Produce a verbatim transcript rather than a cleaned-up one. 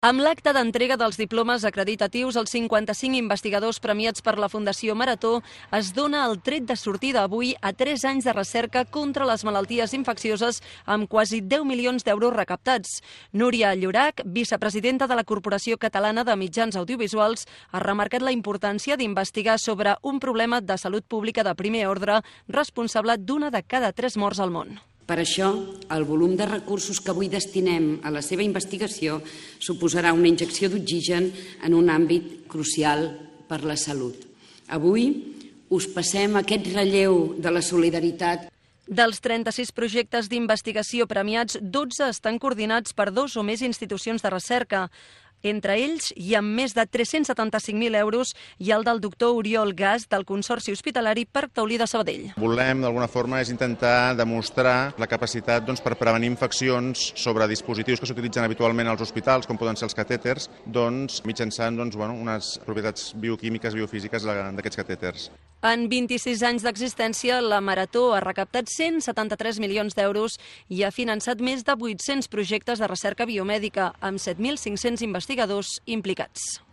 Amb l'acte d'entrega dels diplomes acreditatius, els cinquanta-cinc investigadors premiats per la Fundació Marató es dona el tret de sortida avui a tres anys de recerca contra les malalties infeccioses amb quasi deu milions d'euros recaptats. Núria Llorach, vicepresidenta de la Corporació Catalana de Mitjans Audiovisuals, ha remarcat la importància d'investigar sobre un problema de salut pública de primer ordre responsable d'una de cada tres morts al món. Per això, el volum de recursos que avui destinem a la seva investigació suposarà una injecció d'oxigen en un àmbit crucial per la salut. Avui us passem aquest relleu de la solidaritat. Dels trenta-sis projectes d'investigació premiats, dotze estan coordinats per dos o més institucions de recerca. Entre ells, hi ha més de tres-cents setanta-cinc mil euros i el del doctor Oriol Gas del Consorci Hospitalari Parc Taulí de Sabadell. Volem, d'alguna forma, és intentar demostrar la capacitat doncs, per prevenir infeccions sobre dispositius que s'utilitzen habitualment als hospitals, com poden ser els catèters, doncs, mitjançant doncs, bueno, unes propietats bioquímiques, biofísiques d'aquests catèters. En vint-i-sis anys d'existència, la Marató ha recaptat cent setanta-tres milions d'euros i ha finançat més de vuit-cents projectes de recerca biomèdica, amb set mil cinc-cents investigadors implicats.